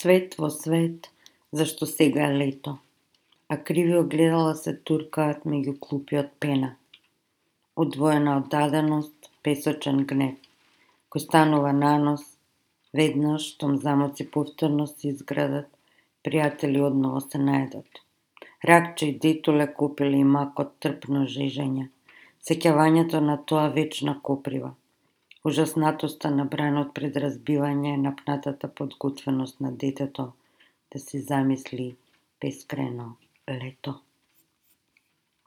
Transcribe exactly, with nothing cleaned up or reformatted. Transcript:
Свет во свет, зашто сега е лето, а криви огледала се туркаат меѓу клупи од пена. Одвоена од даденост, песочен гнев, кој станува нанос, веднаш штом замоци повторно се изградат, пријатели одново се најдат. Ракче и детуле купиле и макот трпно жежење, сеќавањето на тоа вечна коприва, ужаснатоста на бранот пред разбивање, напнатата подготвеност на детето да си замисли бескрајно лето.